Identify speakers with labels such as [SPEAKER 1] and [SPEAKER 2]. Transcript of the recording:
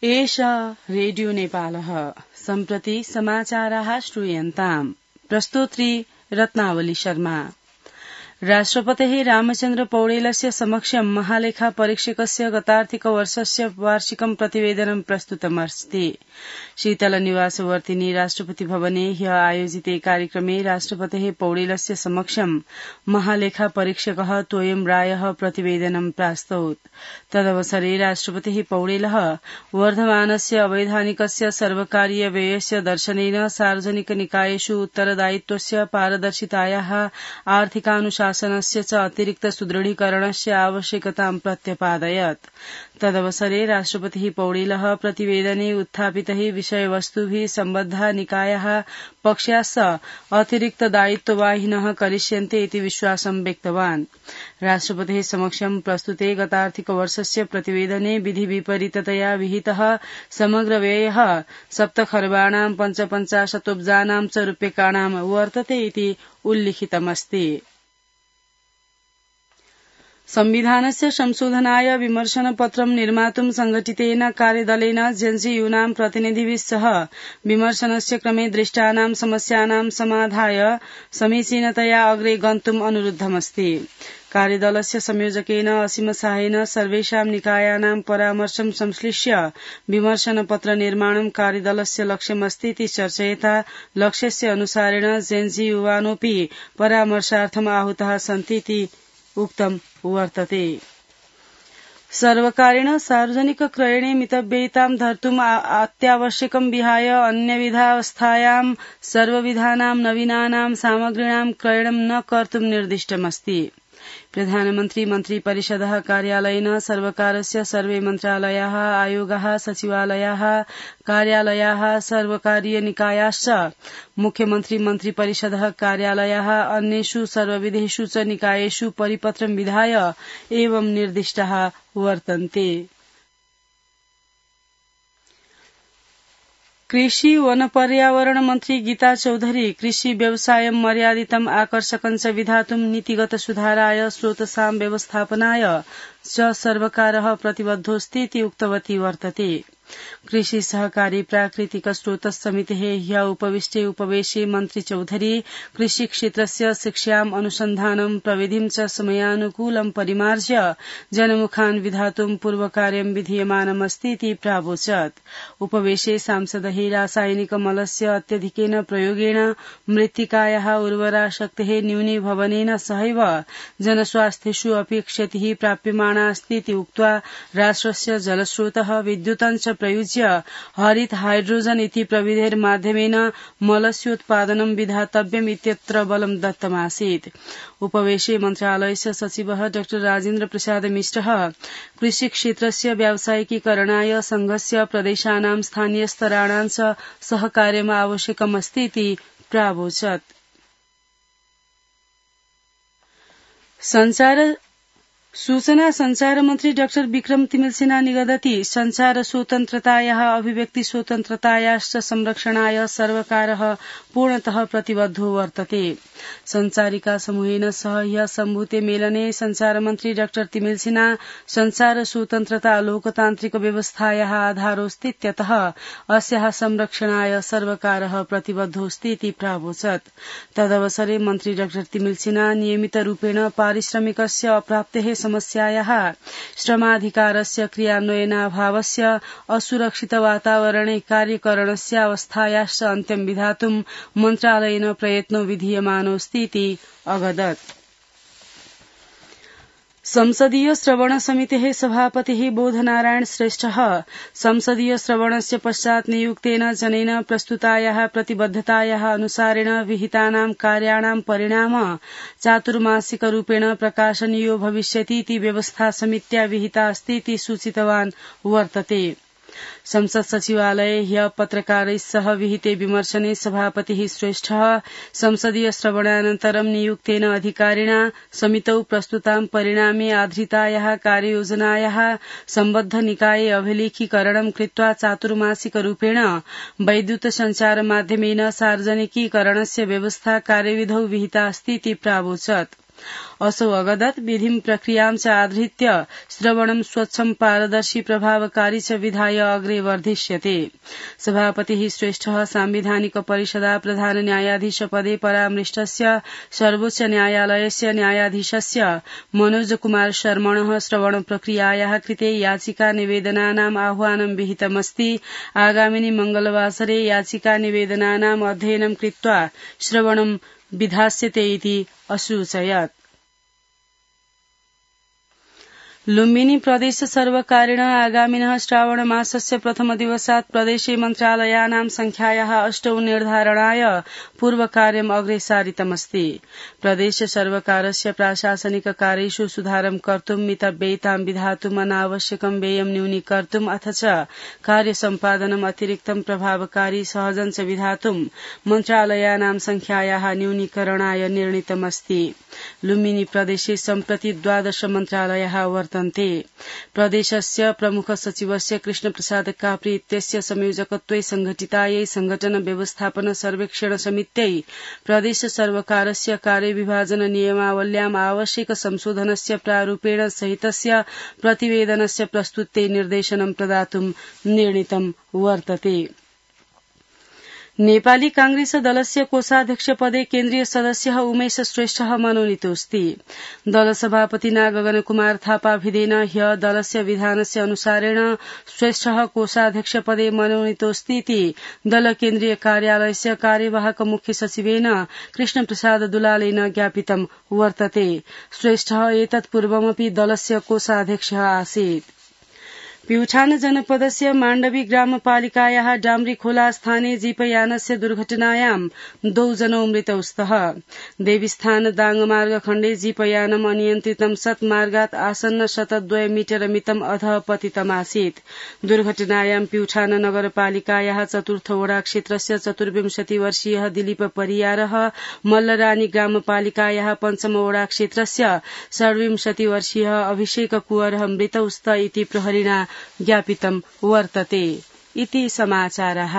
[SPEAKER 1] एषा रेडियो नेपालः सम्प्रति समाचाराः श्रूयन्ताम्। प्रस्तोत्री रत्नावली शर्मा। राष्ट्रपतेः रामचन्द्र पौडेलस्य समक्षं महालेखा परीक्षकस्य गतार्थिकवर्षस्य वार्षिकं प्रतिवेदनं प्रस्तुतमस्ति। शीतलनिवासवर्तिनी राष्ट्रपति भवने ह्य आयोजिते कार्यक्रमे राष्ट्रपतेः पौडेलस्य समक्षं महालेखा परीक्षकः तोयं रायः प्रतिवेदनं प्रास्तौत्। तदवसरे राष्ट्रपतिः पौडेलः वर्धमानस्य अवैधानिकस्य सर्वकारीय व्ययस्य दर्शनेन सार्वजनिक निकायेषु उत्तरदायित्वस्य पारदर्शितायाः आर्थिकानुशासनस्य च अतिरिक्त सुदृढीकरणस्य आवश्यकतां प्रत्यपादयत्। तदवसरे राष्ट्रपतिः पौडेलः प्रतिवेदने उत्थापितैः विषयवस्तुभिः सम्बद्धा निकायाः पक्षाश्च अतिरिक्त दायित्ववाहिनः करिष्यन्ते इति विश्वासं व्यक्तवान्। राष्ट्रपतेः समक्षं प्रस्तुते गतार्थिकवर्षस्य प्रतिवेदने विधिविपरीततया विहितः समग्र व्ययः 7 खर्बाणां 55 च रूप्यकाणां वर्तते इति उल्लिखितमस्ति। संविधानस्य संशोधनाय विमर्शनपत्रं निर्मातुं संघटितेन कार्यदलेन जेएनयू प्रतिनिधिभिः सह विमर्शनस्य क्रमे दृष्टानां समस्यानां समाधाय समीचीनतया अग्रे गन्तुम् अनुरुद्धमस्ति। कार्यदलस्य संयोजकेन असीम साहेन सर्वेषां निकायानां परामर्शं संश्लिष्य विमर्शनपत्र निर्माणं कार्यदलस्य लक्ष्यमस्ति इति चर्चयता लक्ष्यस्य अनुसारेण जेएनयूवानोऽपि परामर्शार्थम् आहूताः सन्ति इति उक्तम् वर्तते। सर्वकारेण सार्वजनिक क्रयणे मितव्ययितां धर्तुम् अत्यावश्यकं विहाय अन्यविधावस्थायां सर्वविधानां नवीनानां सामग्रीणां क्रयणं न कर्तुं निर्दिष्टमस्ति। प्रधानमन्त्री मन्त्रिपरिषदः कार्यालयेन सर्वकारस्य सर्वे मन्त्रालयाः आयोगाः सचिवालयाः कार्यालयाः सर्वकारीय निकायाश्च मुख्यमन्त्री मन्त्रिपरिषदः कार्यालयाः अन्येषु सर्वविधेषु च निकायेषु परिपत्रं विधाय एवं निर्दिष्टाः वर्तन्ते। कृषि वन पर्यावरण मन्त्री गीता चौधरी कृषि व्यवसाय मर्यादितम् आकर्षकं च विधातुं नीतिगत सुधाराय स्रोतसां व्यवस्थापनाय च सर्वकारः प्रतिबद्धोऽस्ति इति उक्तवती वर्तते। कृषि सहकारी प्राकृतिक स्रोत समितेः ह्य उपविष्टे उपवेशे मन्त्री चौधरी कृषि क्षेत्रस्य शिक्षाम् अनुसन्धानं प्रविधिं च समयानुकूलं परिमार्ज्य जनमुखान् विधातुं पूर्वकार्यं विधीयमानमस्ति इति प्रावोचत्। उपवेशे सांसदैः रासायनिक मलस्य अत्यधिकेन प्रयोगेण मृत्तिकायाः उर्वरा शक्तेः न्यूनीभवनेन सहैव जनस्वास्थ्येषु अपि क्षतिः प्राप्यमाणा अस्ति इति उक्त्वा राष्ट्रस्य जलस्रोतः विद्युतं च प्रयुज्य हरित हाइड्रोजन इति प्रविधेर्माध्यमेन मलस्योत्पादनं विधातव्यम् इत्यत्र बलं दत्तमासीत्। उपवेशे मन्त्रालयस्य सचिवः डॉ राजेन्द्र प्रसाद मिश्रः कृषि क्षेत्रस्य व्यावसायिकीकरणाय संघस्य प्रदेशानां स्थानीयस्तराणां च सहकार्यम् आवश्यकमस्ति इति प्रावोचत्। सूचना संचार मन्त्री डाक्टर विक्रम तिमिल्सिना निगदति संचार स्वतन्त्रतायाः अभिव्यक्ति स्वतन्त्रतायाश्च संरक्षणाय सर्वकारः पूर्णतः प्रतिबद्धो वर्तते। संचारिका समूहेन सह ह्यः सम्भूते मेलने संचार मन्त्री डाक्टर तिमिल्सिना संचार स्वतन्त्रता लोकतान्त्रिक व्यवस्थायाः आधारोऽस्तीत्यतः अस्याः संरक्षणाय सर्वकारः प्रतिबद्धोऽस्ति इति प्रावोचत्। तदवसरे मन्त्री डाक्टर तिमिल्सिना नियमितरूपेण पारिश्रमिकस्य अप्राप्तेः समस्यायाः श्रमाधिकारस्य क्रियान्वयनाभावस्य असुरक्षित वातावरणे कार्यकरणस्य अवस्थायाश्च अन्त्यं विधातुं मन्त्रालयेन प्रयत्नो विधीयमानोऽस्ति इति अवदत्। संसदीय श्रवण समितेः सभापतिः बोधनारायण श्रेष्ठः संसदीय श्रवणस्य पश्चात् नियुक्तेन जनेन प्रस्तुतायाः प्रतिबद्धतायाः अनुसारेण विहितानां कार्याणां परिणाम चातुर्मासिकरूपेण प्रकाशनीयो भविष्यति इति व्यवस्था समित्या विहिता अस्ति इति सूचितवान् वर्तते। संसद सचिवालये ह्यः पत्रकारैः सह विहिते विमर्शने सभापतिः श्रेष्ठः संसदीय श्रवणानन्तरं नियुक्तेन अधिकारिणा समितौ प्रस्तुतां परिणामे आधृतायाः कार्ययोजनायाः सम्बद्ध निकाये अभिलेखीकरणं कृत्वा चातुर्मासिकरूपेण वैद्युत सञ्चारमाध्यमेन सार्वजनिकीकरणस्य व्यवस्था कार्यविधौ विहिता अस्ति इति प्रावोचत्। असौ अगदत् विधिं प्रक्रियां च आधृत्य श्रवणं स्वच्छं पारदर्शी प्रभावकारी च विधाय अग्रे वर्धिष्यते। सभापतिः श्रेष्ठः सांविधानिक परिषदा प्रधान न्यायाधीश पदे परामृष्टस्य सर्वोच्च न्यायालयस्य न्यायाधीशस्य मनोज कुमार शर्मणः श्रवण प्रक्रियायाः कृते याचिका निवेदनानाम् आह्वानं विहितमस्ति। आगामिनि मंगलवासरे याचिका निवेदनानाम् अध्ययनं कृत्वा श्रवणं विधास्यते इति असूचयत्। लुम्बिनी प्रदेश सर्वकारेण आगामिनः श्रावण मासस्य प्रथम दिवसात् प्रदेशे मन्त्रालयानां संख्यायाः 8 निर्धारणाय पूर्वकार्यम् अग्रे सारितमस्ति। प्रदेश सर्वकारस्य प्राशासनिक कार्येषु सुधारं कर्तुं मितव्ययितां विधातुम् अनावश्यकं व्ययं न्यूनीकर्तुम् अथ च कार्य सम्पादनम् अतिरिक्तं प्रभावकारी सहजं च विधातुं मन्त्रालयानां संख्यायाः न्यूनीकरणाय निर्णीतमस्ति। लुम्बिनी प्रदेशे सम्प्रति 12 मन्त्रालयाः वर्तन्ते। प्रदेशस्य प्रमुख सचिवस्य कृष्ण प्रसाद काप्री इत्यस्य संयोजकत्वे संघटितायै संघटन व्यवस्थापन सर्वेक्षण समित्यै प्रदेश सर्वकारस्य कार्यविभाजन नियमावल्याम् आवश्यक संशोधनस्य प्रारूपेण सहितस्य प्रतिवेदनस्य प्रस्तुत्यै निर्देशनं प्रदातुं निर्णीतं वर्तते। नेपाली कांग्रेस दलस्य कोषाध्यक्ष पदे केन्द्रीय सदस्यः उमेश श्रेष्ठः मनोनीतोऽस्ति। दल सभापतिना गगन कुमार थापा भिदेन ह्य दलस्य विधानस्य अनुसारेण श्रेष्ठः कोषाध्यक्ष पदे मनोनीतोऽस्ति इति दल केन्द्रीय कार्यालयस्य कार्यवाहक मुख्य सचिवेन कृष्ण प्रसाद दुलालेन ज्ञापितं वर्तते। श्रेष्ठः एतत् पूर्वमपि दलस्य कोषाध्यक्षः आसीत्। प्युठान जनपदस्य माण्डवी ग्रामपालिकायाः डाम्रीखोला स्थाने जीपयानस्य दुर्घटनायां 2 जनौ मृतौ स्तः। देवीस्थान दाङमार्ग खण्डे जीपयानम् अनियन्त्रितं सत् मार्गात् आसन्न 102 मीटर मितम् अधः पतितमासीत्। दुर्घटनायां प्युठान नगरपालिकायाः 4th वडा क्षेत्रस्य 24 वर्षीयः दिलीप परियारः, मल्लरानी ग्रामपालिकायाः 5म वडा क्षेत्रस्य 26 वर्षीयः अभिषेक कुंवरः मृतौ स्त इति प्रहरिणा ज्ञापितं वर्तते। इति समाचारः।